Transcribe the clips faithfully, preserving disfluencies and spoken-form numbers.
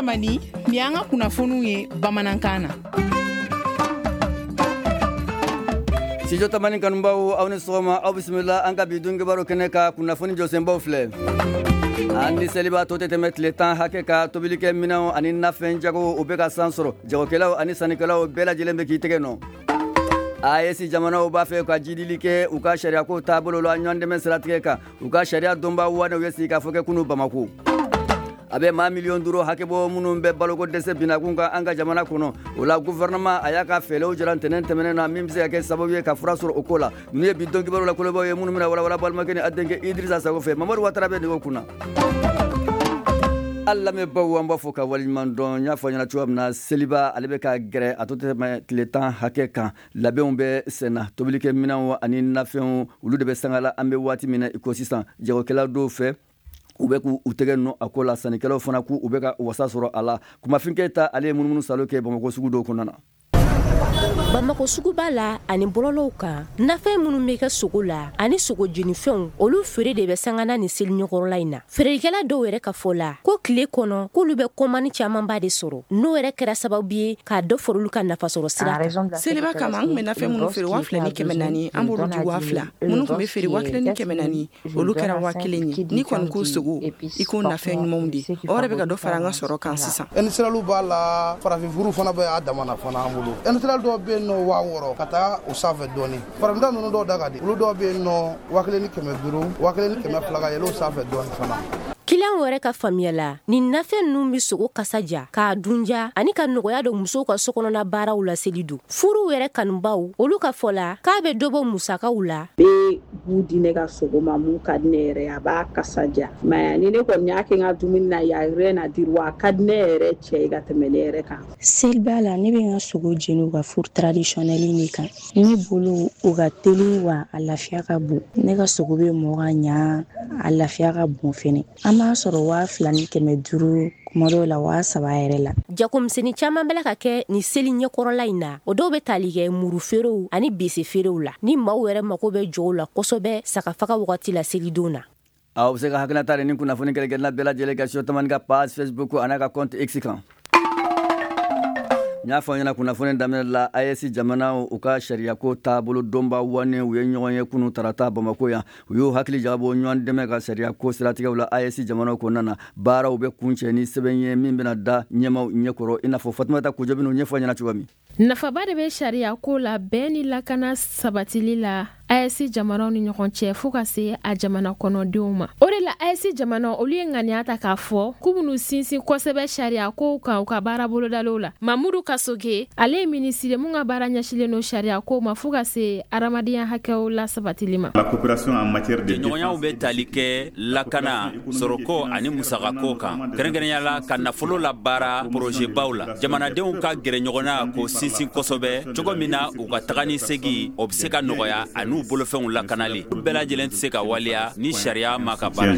Tamani, nin y'an ka kunnafoniw ye bamanankan na. Studio Tamani kanubaw, aw ni sɔgɔma, aw bisimila an ka bi donkibaru kɛnɛ ka kunnafoni jɔsenbaw filɛ. An ni seliba tɔ tɛ tɛmɛ tile tan hakɛ ka tobilikɛ minɛnw ani nafɛn jago o bɛ ka san sɔrɔ. Jagokɛlaw ani sannikɛlaw bɛɛ lajɛlen bɛ k'i tɛgɛ nɔ. A E S jamanaw b'a fɛ ka jidili kɛ u ka sariyako taabolo la ɲɔgɔn dɛmɛ siratigɛ kan. U ka sariya donba wanew ye sigikafɔ kɛ kunu Bamako. A bɛ maa miliyɔn duuru hakɛ bɔ minnu bɛ baloko dɛsɛ binakun kan an ka jamana kɔnɔ. O la gouvernement a y'a ka fɛɛrɛw jira ntɛnɛn tɛmɛnen na min bɛ se ka kɛ sababu ye ka fura sɔrɔ o ko la. Ninnu ye bi don kibaru la kolobaw ye minnu bɛna walawala balimakɛ ni a denkɛ Idrissa Sago fɛ. Mamadu Watara bɛ nɛgɛw kunna. Al lamɛnbaw, an b'a fɔ ka waleɲuman dɔn. N y'a fɔ ɲɛna cogoya min na, seliba ale bɛ ka gɛrɛ, a to tɛmɛ tile tan hakɛ kan. Labɛnw bɛ senna, tobilikɛ minɛnw ani nafɛnw olu de bɛ sangala an bɛ waati min na i ko sisan. Jagokɛla dɔw fɛ, u bɛ k'u tɛgɛ nɔ a ko la, sannikɛlaw fana k'u bɛ ka wasa sɔrɔ a la. Kumafin Keyita, ale ye munumunu salo kɛ Bamakɔ sugu dɔw kɔnɔna na. Bamakɔ suguba la ani bɔlɔlɔw kan, nafɛn minnu bɛ kɛ sogo la ani sogo jenifɛnw, olu feere de bɛ sangana ni seli ɲɛkɔrɔla in na. Feerelikɛla dɔw yɛrɛ ka fɔ la ko tile kɔnɔ k'olu bɛ kɔmani camanba de sɔrɔ, n'o yɛrɛ kɛra sababu ye k'a dɔ fara olu ka nafasɔrɔ sira kan. Seliba kama, an tun bɛ nafɛn minnu feere waa fila ni kɛmɛ naani, an b'olu di waa fila. Minnu tun bɛ feere waa kelen ni kɛmɛ naani, olu kɛra waa kelen ye. N'i kɔni ko sogo, i ko nafɛn ɲumanw de, o yɛrɛ bɛ ka dɔ fara an ka sɔrɔ kan sisan. Industriel b'a la, farafinfuru fana bɛ a dama na fana an bolo. Industriel dɔw bɛ yen nɔ waa wɔɔrɔ ka taa o sanfɛ dɔɔni. Farafinta ninnu dɔw da ka di, olu dɔw bɛ yen nɔ waa kelen ni kɛmɛ duuru, waa kelen ni kɛmɛ fila ka yɛlɛ o sanfɛ dɔɔni fana. Kiliyanw yɛrɛ ka faamuya la, nin nafɛn ninnu bɛ sogo kasa ja, k'a dunja ani ka nɔgɔya don musow ka sokɔnɔna baaraw la seli don. Furuw yɛrɛ kanubaw, olu ka fɔ la k'a bɛ dɔ bɔ musakaw la. Bɛ bu di ne ka sogo ma mun ka di ne yɛrɛ ye, a b'a kasa ja. Mais ni ne kɔni y'a kɛ n ka dumuni na, y a rien à dire, wa a ka di ne yɛrɛ cɛ ye ka tɛmɛ ne yɛrɛ kan. Seliba la, ne bɛ n ka sogo jeni u ka four traditionnel de kan. Ne bolo o ka teli wa a lafiya ka bon. Ne ka sogo bɛ mɔ ka ɲa, a lafiya ka bon fɛnɛ. An b'a sɔrɔ waa fila ni kɛmɛ duuru, kuma dɔw la waa saba yɛrɛ la. Jagomisɛnnin caman bɛ ka kɛ nin seli ɲɛkɔrɔla in na. O dɔw bɛ tali kɛ muru feerew ani bese feerew la. Ni maaw yɛrɛ mako bɛ jɔw la kosɛbɛ sagafaga wagati la selidon na. Aw bɛ se ka hakilinata ni kunnafoni kɛrɛnkɛrɛnna bɛɛ lajɛlen kɛ Studio Tamani ka page Facebook an'a ka compte X kan. N y'a fɔ ɲɛna kunnafoni daminɛ la, A E S jamanaw u ka sariyako taabolo donba wane u ye ɲɔgɔn ye kunu tarata Bamako yan. U y'u hakili jagabɔ ɲɔgɔn dɛmɛ ka sariyako siratigɛw la A E S jamanaw kɔnɔna na. Baaraw bɛ kuncɛ ni sɛbɛn ye min bɛna da ɲɛmaw ɲɛkɔrɔ, i n'a fɔ Fatumata Kojo bɛn'o ɲɛfɔ ɲɛna cogo min. Nafaba de bɛ sariya ko la bɛn ni lakana sabatili la A E S jamanaw ni ɲɔgɔn cɛ, fɔɔ ka se a jamana kɔnɔdenw ma. O de la A E S jamana olu ye ŋaniya ta k'a fɔ k'u b'u sinsin kosɛbɛ sariya kow kan u ka baara bolodalew la. Mamudu Kasoge, ale ye minisiri mun ka baara ɲɛsilen don sariya kow ma fɔɔ ka se adamadenya hakɛw la sabatili ma. Jɛɲɔgɔnyaw bɛ tali kɛ lakana, sɔrɔko ani musakako kan, kɛrɛnkɛrɛnya la ka nafolo la baara porozɛbaw la. Jamanadenw ka gɛrɛ ɲɔgɔn na k'o sinsin kosɛbɛ cogo min na u ka taga ni segi o bɛ se ka nɔgɔya ani bolofɛnw lakanali. Bɛɛ lajɛlen tɛ se ka waleya ni sariya ma ka baara.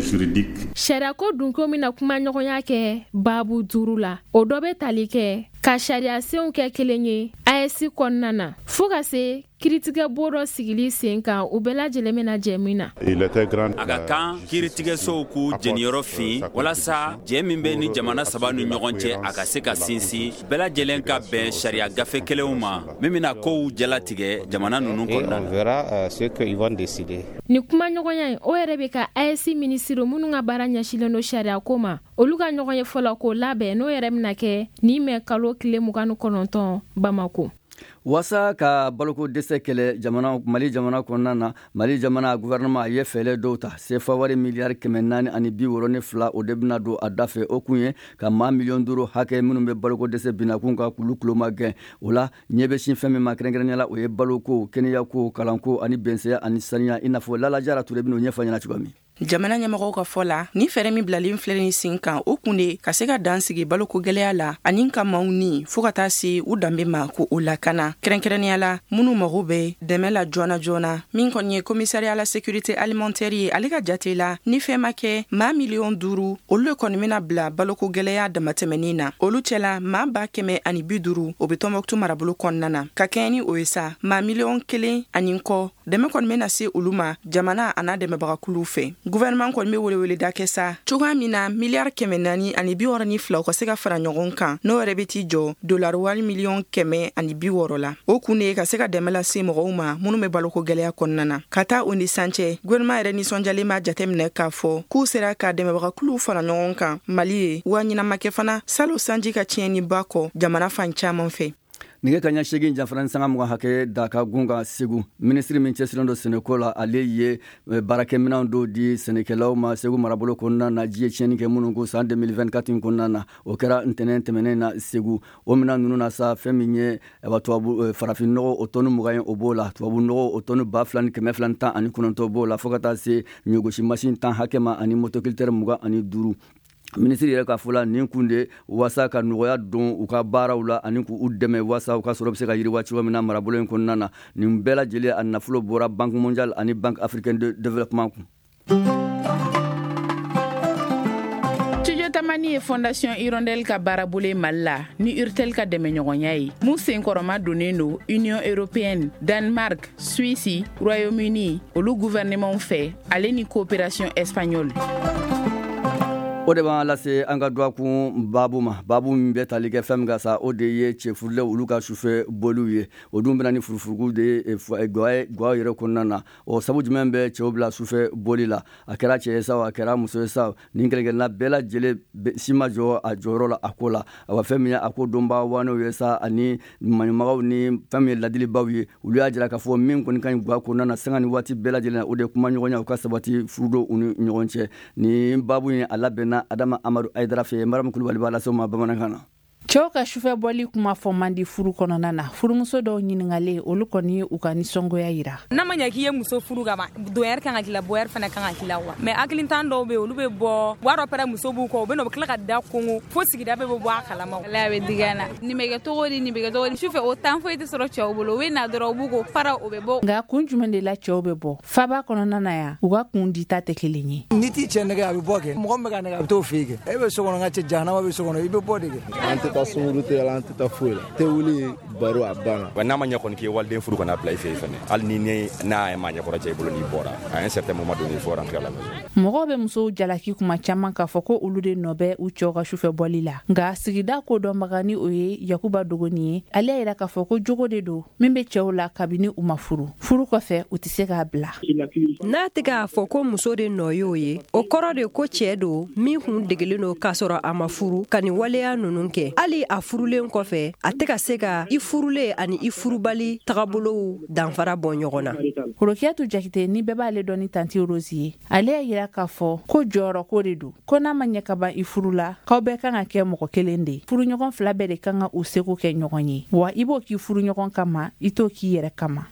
Sariyako dunko bɛna kuma ɲɔgɔnya kɛ baabu duuru la. O dɔ bɛ tali kɛ ka sariyasenw kɛ kelen ye A E S kɔnɔna na, fɔɔ ka se kiiritigɛ bon dɔ sigili sen kan, u bɛɛ lajɛlen bɛna jɛ min na. A ka kan kiiritigɛsow k'u jeniyɔrɔ fin walasa jɛ min bɛ ni jamana saba ni ɲɔgɔn cɛ, a ka se ka sinsin, bɛɛ lajɛlen ka bɛn sariya gafe kelenw ma min bɛna kow jalatigɛ jamana ninnu kɔnɔna na. Nin kuma ɲɔgɔnya in, o yɛrɛ bɛ ka A E S minisiri minnu ka baara ɲɛsilen don sariya ko ma, olu ka ɲɔgɔn ye fɔlɔ k'o labɛn, n'o yɛrɛ bɛna kɛ nin mɛ kalo tile mugan ni kɔnɔntɔn Bamako. Waasa ka baloko dɛsɛ kɛlɛ jamana Mali jamana kɔnɔna na, Mali jamana gouvernement a ye fɛɛrɛ dɔw ta. Sefa wari miliyari kɛmɛ naani ani bi wɔɔrɔ ni fila, o de bɛna don a da fɛ. O kun ye ka maa miliyɔn duuru hakɛ minnu bɛ baloko dɛsɛ binakun kan, k'olu tuloma gɛn. O la ɲɛ bɛ sin fɛn min ma kɛrɛnkɛrɛnnenya la, o ye baloko, kɛnɛyako, kalanko ani bɛnsɛya ani saniya, i n'a fɔ Lala Jara Ture bɛn'o ɲɛfɔ ɲɛna cogo min. Jamana ɲɛmɔgɔw ka fɔ la, ni fɛɛrɛ min bilalen filɛ nin sen kan, o kun de ka se ka dan sigi baloko gwɛlɛya la ani ka maaw ni fɔɔ ka taa se u danbe ma ko o lakana, kɛrɛnkɛrɛnnenya la minnu mago bɛ dɛmɛ la joona joona. Min kɔni ye commissariat la sécurité alimentaire ye, ale ka jate la, ni fɛn ma kɛ, maa miliyɔn duuru olu le kɔni bena bila baloko gwɛlɛya damatɛmɛnin na. Olu cɛla, maa ba kɛmɛ ani bi duru o be Tɔnbɔkutu marabolo kɔnɔna na. Ka kɛɲɛ ni o ye sa, maa miliyɔn kelen ani kɔ. Dɛmɛ kɔni bɛna se olu ma jamana a n'a dɛmɛbagakuluw fɛ. Gouvernement kɔni bɛ weleweleda kɛ sa cogoya min na miliyari kɛmɛ naani ani bi wɔɔrɔ ni fila u ka se ka fara ɲɔgɔn kan, n'o yɛrɛ bɛ t'i jɔ dolari wari miliyɔn kɛmɛ ani bi wɔɔrɔ la. O kun de ye ka se ka dɛmɛ lase mɔgɔw ma minnu bɛ baloko gɛlɛya kɔnɔna na. Ka taa o ni san cɛ, gouvernement yɛrɛ nisɔndiyalen b'a jateminɛ k'a fɔ k'u sera ka dɛmɛbagakuluw fara ɲɔgɔn kan Mali ye, wa ɲinan kɛ fana salon sanji ka tiɲɛniba kɔ jamana fan caman fɛ. Nɛgɛ kaɲa seegin janfara ni sanga mugan hakɛ da ka gun kan Segu. Minisiri min cɛsirilen don sɛnɛko la, ale ye baarakɛminɛnw dɔw di sɛnɛkɛlaw ma Segu marabolo kɔnɔna na, ji ye tiɲɛni kɛ minnu kun san deux mille vingt-quatre in kɔnɔna na. O kɛra ntɛnɛn tɛmɛnen na Segu. O minɛn ninnu na sa, fɛn min ye tubabu farafin nɔgɔ o tɔni mugan ye, o b'o la, tubabu nɔgɔ o tɔni ba fila ni kɛmɛ fila ni tan ani kɔnɔntɔn b'o la, fo ka taa se ɲɔgosi masin tan hakɛ ma ani motoculteur mugan ani duuru. Minisiri yɛrɛ ka fɔ la, nin kun de waasa ka nɔgɔya don u ka baaraw la ani k'u dɛmɛ waasa u ka sɔrɔ bɛ se ka yiriwa cogo min na marabolo in kɔnɔna na. Nin bɛɛ lajɛlen a nafolo bɔra Banque mondiale ani Banque africaine de développement kun. Studio Tamani ye Fondation Hirondelle ka baarabolo Mali la ni Urtel ka dɛmɛɲɔgɔnya ye, mun senkɔrɔma donnen don Union européenne, Danemark, Suisse, Royaume-Uni olu gouvernement fɛ, ale ni coopération espagnole. O de b'an lase an ka dɔgɔkun baabu ma. Baabu min bɛ tali kɛ fɛn min kan sa, o de ye cɛfurulenw olu ka sufɛ boliw ye. O dun bɛna ni furufuruku de ye gwa yɛrɛ kɔnɔna na. O sabu jumɛn bɛ cɛw bila sufɛ boli la? A kɛra cɛ ye sa, a kɛra muso ye sa, nin kelen-kelenna bɛɛ lajɛlen si ma jɔ a jɔyɔrɔ la a ko la. Awa, fɛn min ye a ko donba wanew ye sa, ani maɲumagaw ni fɛn min ye ladilibaw ye, olu y'a jira k'a fɔ min kɔni ka ɲi gwa kɔnɔna na sanga ni waati bɛɛ lajɛlen na, o de ye kumaɲɔgɔnya u ka sabati furudenw u ni ɲɔgɔn cɛ. Nin baabu in a labɛnna Adama Amadu Aydara fɛ, Mariam Kulubali b'a lase ma bamanankan na. Cɛw ka sufɛ bɔli kuma fɔ man di furu kɔnɔna na. Furumuso dɔw ɲininkalen, olu kɔni ye u ka nisɔngoya yira. N'a ma ɲɛ k'i ye muso furu ka ban, donyɛri kan ka k'i la, bɔyɛri fana kan ka k'i la wa. Mais hakilintan dɔw bɛ yen, olu bɛ bɔ, u b'a dɔn pɛrɛ muso b'u kɔ, u bɛ na u bɛ tila ka da kongo fo sigida bɛɛ bɛ bɔ a kalama. Ala bɛ digi an na. Nin bɛ kɛ cogo di, nin bɛ kɛ cogo di. Sufɛ o temps foyi tɛ sɔrɔ cɛw bolo, u bɛ na dɔrɔn u b'u ko para u bɛ bɔ. Nka kun jumɛn de la cɛw bɛ bɔ? Faba kɔnɔna na yan, u ka kun dita tɛ kelen ye. N'i t'i cɛ nɛgɛ, a bɛ bɔ kɛ. Mɔgɔ min bɛ ka nɛgɛ, a bɛ t'o fɛ yen kɛ. E bɛ so kɔnɔ, n ka cɛ jahanama bɛ so kɔnɔ, i bɛ bɔ de kɛ. An tɛ taa sunkuru tɛ la, an tɛ taa foyi la. Tɛ wuli baro a banna. Wa n'a ma ɲɛ kɔni k'i ye waliden furu kana bila i fɛ yen fɛnɛ. Hali ni ne n'a ma ɲɛkɔrɔ cɛ i bolo n'i bɔra, à un certain moment donné, il faut rentrer à la maison. Mɔgɔw bɛ musow jalaki kuma caman k'a fɔ ko olu de nɔ bɛ u cɛw ka sufɛ bɔli la. Nka sigida ko dɔnbaga ni o ye Yakuba Dogoni ye, ale y'a yira k'a fɔ ko jogo de don min bɛ cɛw la kabini u ma furu. Furu kɔfɛ, u tɛ se k'a bila. N'a tɛ k'a fɔ ko muso de nɔ y'o ye, o kɔrɔ de ko cɛ don min kun degelen don k'a sɔrɔ a ma furu ka nin waleya ninnu kɛ. Hali a furulen kɔfɛ, a tɛ ka se ka i furulen ani i furubali tagabolow danfara bɔ ɲɔgɔn na. Rokiyatou Jakite, ni bɛɛ b'ale dɔn ni tanti Rose ye, ale y'a yira k'a fɔ ko jɔyɔrɔ ko de don, ko n'a ma ɲɛ ka ban i furu la, k'aw bɛɛ kan ka kɛ mɔgɔ kelen de ye. Furuɲɔgɔn fila bɛɛ de kan ka u seko kɛ ɲɔgɔn ye, wa i b'o k'i furuɲɔgɔn kama, i t'o k'i yɛrɛ kama.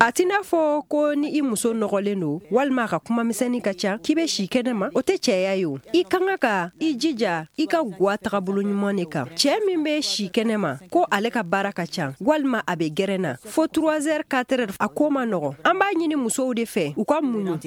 A t'i n'a fɔ ko ni i muso nɔgɔlen don walima a ka kuma misɛnnin ka ca k'i bɛ si kɛnɛ ma, o tɛ cɛya ye o. I kan ka i jija i ka gwa tagabolo ɲuman de kan. Cɛ min bɛ si kɛnɛ ma ko ale ka baara ka ca walima a bɛ gɛrɛn na fo trois heures quatre heures, a ko ma nɔgɔn. An b'a ɲini musow de fɛ u ka muɲu.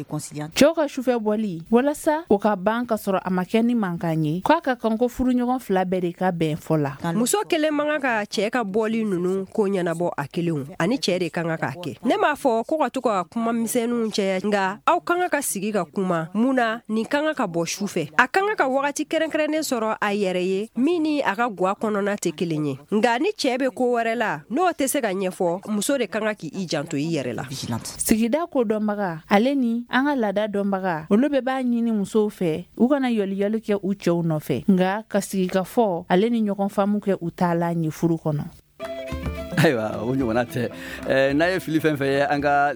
Cɛw ka sufɛ bɔli, walasa o ka ban ka sɔrɔ a ma kɛ ni mankan ye, k'a ka kan ko furuɲɔgɔn fila bɛɛ de ka bɛn fɔ la. Muso kelen man kan ka cɛ ka bɔli ninnu ko ɲɛnabɔ a kelenw, ani cɛ de kan k'a kɛ. Ne m'a fɔ ko ka to ka kuma misɛnninw caya, nka aw kan ka sigi ka kuma mun na nin kan ka bɔ su fɛ. A kan ka wagati kɛrɛnkɛrɛnnen sɔrɔ a yɛrɛ ye min ni a ka gwa kɔnɔna tɛ kelen ye. Nka ni cɛ bɛ ko wɛrɛ la n'o tɛ se ka ɲɛfɔ, muso de kan k'i janto i yɛrɛ la. Sigida ko dɔnbaga ale ni an ka laada dɔnbaga, olu bɛɛ b'a ɲini musow fɛ u kana yɔliyɔli kɛ u cɛw nɔfɛ, nka ka sigi ka fɔ ale ni ɲɔgɔn faamu kɛ u t'a la ɲɛ furu kɔnɔ. Ayiwa, o ɲɔgɔnna tɛ. N'a ye fili fɛn fɛn ye an ka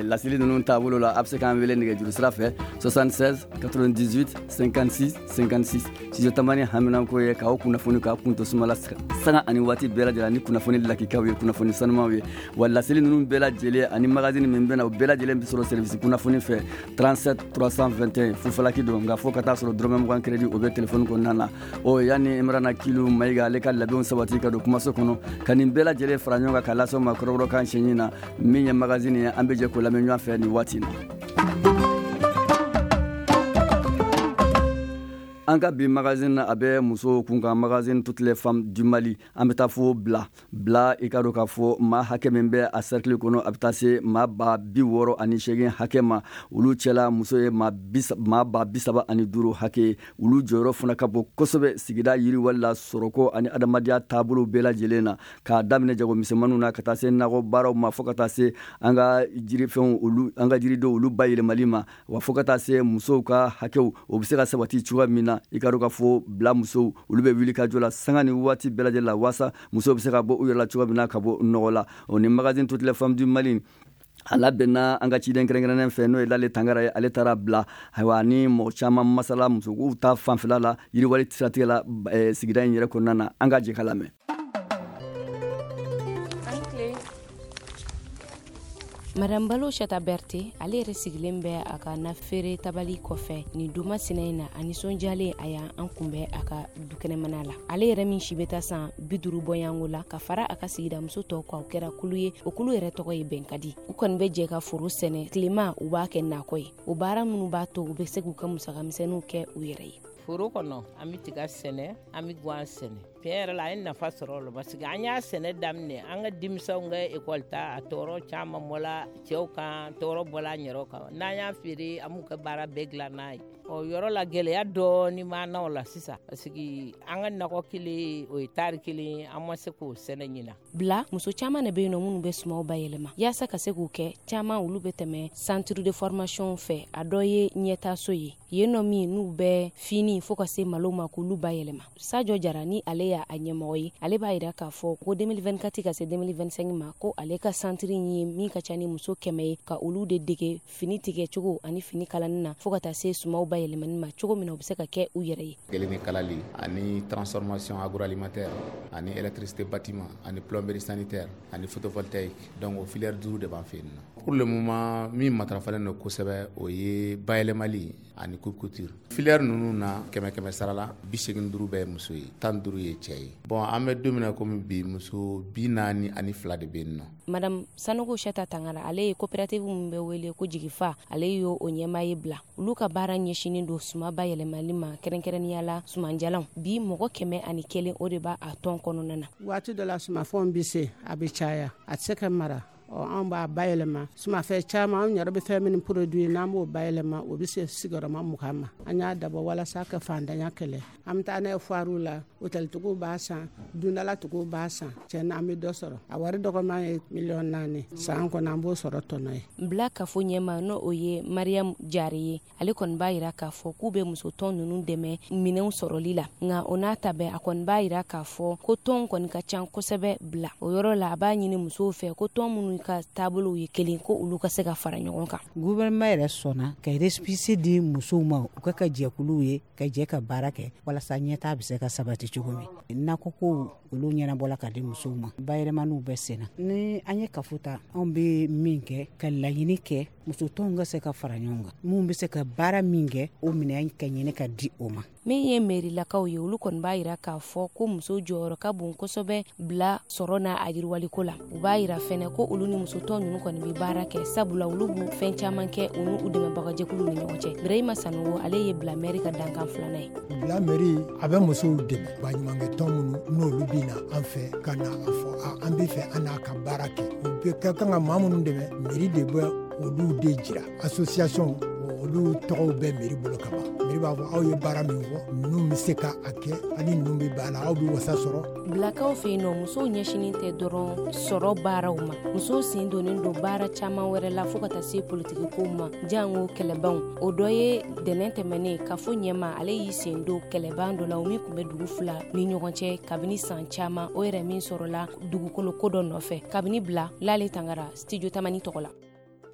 laseli ninnu taabolo la, a bɛ se k'an wele nɛgɛjuru sira fɛ soixante-seize quatre-vingt-dix-huit cinquante-six cinquante-six. Studio Tamani haminanko ye k'aw kunnafoni k'aw kun to suma la sanga ani waati bɛɛ lajɛlen ni kunnafoni lakikaw ye, kunnafoni sanumaw ye. Wa laseli ninnu bɛɛ lajɛlen ani magazine min bɛ na, o bɛɛ lajɛlen bɛ sɔrɔ service kunnafoni fɛ trente-sept trois cent vingt et un fufalaki don, nka fo ka taa sɔrɔ dɔrɔmɛ mugan crédit o bɛ téléphone kɔnɔna na. O yanni Imrana Kilu Mayiga ale ka labɛnw sabati ka don kumaso kɔnɔ ka nin bɛɛ lajɛlen fara ɲɔgɔn kan ka lasɔn ma kɔrɔbɔrɔkan siɲɛ na min ye magazine ye, an bɛ jɛ k'o lamɛn ɲɔgɔn fɛ nin waati in na. An ka bi magazine na, a bɛ musow kun kan, magazine Toutes les femmes du Mali. An bɛ taa fo Bila. Bila, i ka dɔn k'a fɔ maa hakɛ min bɛ a cercle kɔnɔ, a bɛ taa se maa ba bi wɔɔrɔ ani seegin hakɛ ma. Olu cɛla, muso ye maa maa ba bi saba ani duuru hakɛ. Olu jɔyɔrɔ fana ka bon kosɛbɛ sigida yiriwali la, sɔrɔko ani adamadenya taabolo bɛɛ lajɛlen na, k'a daminɛ jagomisɛnmaninw na ka taa se nakɔ baaraw ma, fo ka taa se an ka jirifɛnw, olu an ka jiridenw, olu bayɛlɛmali ma wa, fo ka taa se musow ka hakɛw, o bɛ se ka sabati cogoya min na. I ka dɔn k'a fɔ Bila musow, olu bɛ wuli ka jɔ la sanga ni waati bɛɛ lajɛlen la, waasa musow bɛ se ka bɔ u yɛrɛ la cogoya min na, ka bɔ nɔgɔ la. O ni magazine Toutes les femmes du Mali, a labɛnna an ka ciden kɛrɛnkɛrɛnnen fɛ, n'o ye Lale Tangara ye. Ale taara Bila, ayiwa, ni mɔgɔ caman masala musow ta fanfɛla la, yiriwali siratigɛ la, sigida in yɛrɛ kɔnɔna na. An ka jɛ ka lamɛn. Madame Balo Chata Berté, ale yɛrɛ sigilen bɛ a ka nafeere tabali kɔfɛ nin duma sinɛ in na. A nisɔndiyalen, a y'an kunbɛn a ka dukɛnɛmana la. Ale yɛrɛ min si bɛ taa san bi duuru bɔyanko la, ka fara a ka sigida muso tɔw kan, o kɛra kulu ye. O kulu yɛrɛ tɔgɔ ye Bɛnkadi. U kɔni bɛ jɛ ka foro sɛnɛ tilema, u b'a kɛ nakɔ ye. O baara minnu b'a to u bɛ se k'u ka musakamisɛnninw kɛ u yɛrɛ ye. Foro kɔnɔ, an bɛ tiga sɛnɛ, an bɛ guwan sɛnɛ. Tiɲɛ yɛrɛ la, an ye nafa sɔrɔ o la, parce que an y'a sɛnɛ daminɛ, an ka denmisɛnw ka ekɔli ta, a tɔɔrɔ caman bɔla cɛw kan, tɔɔrɔ bɔla an yɛrɛw kan. N'an y'a feere, an b'u ka baara bɛɛ dilan n'a ye. Ɔ, yɔrɔ la, gɛlɛya dɔɔni b'an na o la sisan, parce que an ka nakɔ kelen, o ye tari kelen, an ma se k'o sɛnɛ ɲina. Bila muso caman de bɛ yen nɔ minnu bɛ sumaw bayɛlɛma. Yaasa ka se k'u kɛ caman, olu bɛ tɛmɛ centre de formation fɛ. A dɔ ye ɲɛtaso ye yen nɔ, min n'u bɛ fini fo ka se malo ma, k'olu bayɛlɛma. Sajo Jara ni ale y'a ɲɛmɔgɔ ye, ale b'a yira k'a fɔ ko deux mille vingt-quatre ka se deux mille vingt-cinq ma, ko ale ka centre ye min ka ca ni muso kɛmɛ ye, ka olu de dege fini tigɛcogo ani fini kalani na, fo ka taa se sumaw bayɛlɛmani ma, cogo min na u bɛ se ka kɛ u yɛrɛ ye. Kelen ni kalali ani transformation agroalimentaire ani électricité bâtiment ani plomberie sanitaire ani photovoltaïque. Donc o filière duuru de b'an fɛ yen nɔ. Pour le moment, min matarafalen don kosɛbɛ, o ye bayɛlɛmali ani coupe couture. Filière ninnu na, kɛmɛ kɛmɛ sara la, bi segin duuru bɛɛ ye muso ye, tan duuru ye cɛ ye. Bon, an bɛ don min na komi bi, muso bi naani ani fila de bɛ yen nɔ. Madame Sanogo Chata Tangara, ale ye coopérative min bɛ wele ko Jigifa, ale y'o o ɲɛmaa ye Bila. Olu ka baara ɲɛsinin don suma bayɛlɛmali ma, kɛrɛnkɛrɛnnenya la sumanjalanw. Bi, mɔgɔ kɛmɛ ani kelen, o de b'a a tɔn kɔnɔna na. Waati dɔ la, sumafɛnw bɛ se a bɛ caya, a tɛ se ka mara. Ɔ, anw b'a bayɛlɛma sumafɛn caman. Anw yɛrɛ bɛ fɛn minnu produit, n'an b'o bayɛlɛma, o bɛ se sigiyɔrɔma mugan ma. An y'a dabɔ walasa ka fantanya kɛlɛ. An bɛ taa n'a ye foire la, hôteltigiw b'a san, dundalatigiw b'a san. Tiɲɛ na, an bɛ dɔ sɔrɔ. A wari dɔgɔman ye miliyɔn naani san kɔnɔ, an b'o sɔrɔ tɔnɔ ye. Bila kafo ɲɛma, n'o o ye Mariam Jare ye, ale kɔni b'a yira k'a fɔ k'u bɛ musotɔn ninnu dɛmɛ minɛnw sɔrɔli la. Nka o n'a ta bɛɛ, a kɔni b'a yira k'a fɔ ko tɔn kɔni ka ca kosɛbɛ Bila. O yɔrɔ la, a b'a ɲini musow fɛ ko tɔn minnu ka taabolow ye kelen, ko olu ka se ka fara ɲɔgɔn kan. Gouvernement yɛrɛ sɔnna ka récépissé di musow ma, u ka ka jɛkuluw ye, ka jɛ ka baara kɛ walasa ɲɛtaa bɛ se ka sabati cogo min. Nakɔkow, olu ɲɛnabɔla ka di musow ma. Bayɛlɛmaniw bɛ sen na. Ni an ye kafo ta, anw bɛ min kɛ ka laɲini kɛ, musotɔnw ka se ka fara ɲɔgɔn kan, mun bɛ se ka baara min kɛ, o minɛn ka ɲini ka di o ma. Min ye mɛrilakaw ye, olu kɔni b'a yira k'a fɔ ko muso jɔyɔrɔ ka bon kosɛbɛ Bila sɔrɔ n'a a yiriwaliko la. U b'a yira fɛnɛ ko olu ni musotɔn ninnu kɔni bɛ baara kɛ, sabula olu b'u fɛn caman kɛ u n'u dɛmɛbagajɛkuluw ni ɲɔgɔn cɛ. Birahima Sanogo, ale ye Bila mɛri ka dankan filanan ye. Bila mɛri, a bɛ musow dɛmɛ. Baɲumankɛ tɔn minnu n'olu bɛ na an fɛ ka na a fɔ an bɛ fɛ an n'a ka baara kɛ, u bɛ ka kan ka maa minnu dɛmɛ, mɛri de bɛ olu de jira. Association, olu tɔgɔw bɛ mɛri bolo ka ban. Mɛri b'a fɔ aw ye baara min fɔ, ninnu bɛ se ka a kɛ, ani ninnu bɛ ba la, aw bɛ wasa sɔrɔ. Bilakaw fɛ yen nɔ, musow ɲɛsinin tɛ dɔrɔn sɔrɔ baaraw ma. Musow sen donnen don baara caman wɛrɛ la, fo ka taa se politikikow ma, jango kɛlɛbanw. O dɔ ye dɛnɛn tɛmɛnen kafo ɲɛma, ale y'i sen don kɛlɛban dɔ la, o min tun bɛ dugu fila ni ɲɔgɔn cɛ kabini san caman, o yɛrɛ min sɔrɔla dugukolo ko dɔ nɔfɛ. Kabini Bila, Lale Tangara, Studio Tamani tɔgɔ la.